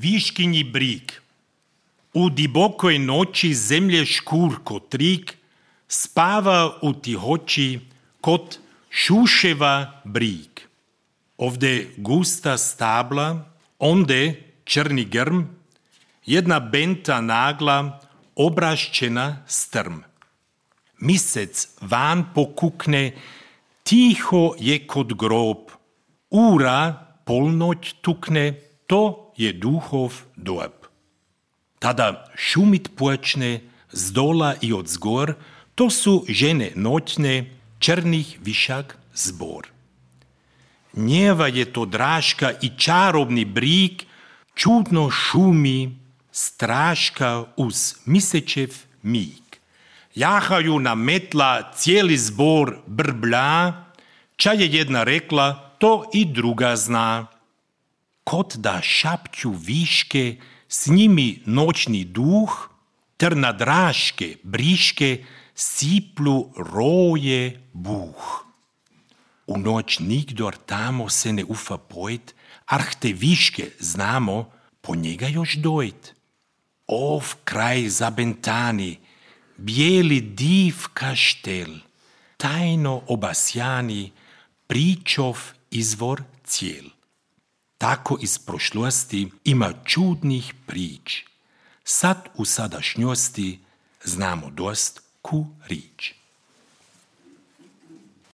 Viškinji brig. U dibokoj noći zemlje škurko trik spava u tihoći kod šuševa brig. Ovde gusta stabla, onde črni grm, jedna benta nagla, obrašćena strm. Misec van pokukne, tiho je kod grob, ura polnoć tukne, to je duhov dob. Tada šumit počne z dola i od zgor, to su žene noćne, črnih višak zbor. Njeva je to draška i čarobni brig, čudno šumi, straška uz misečev mig. Jahaju na metla, cijeli zbor brblja, ča je jedna rekla, to i druga zna. Kod da šapću viške, s njimi noćni duh, ter na draške, briške, siplu roje buh. U noć nigdor tamo se ne ufa pojt, arh te viške znamo, po njega još dojt. Ov kraj zabentani, bijeli div kaštel, tajno obasjani, pričov izvor cijel. Tako iz prošlosti ima čudnih prič. Sad u sadašnjosti znamo dost ku rič.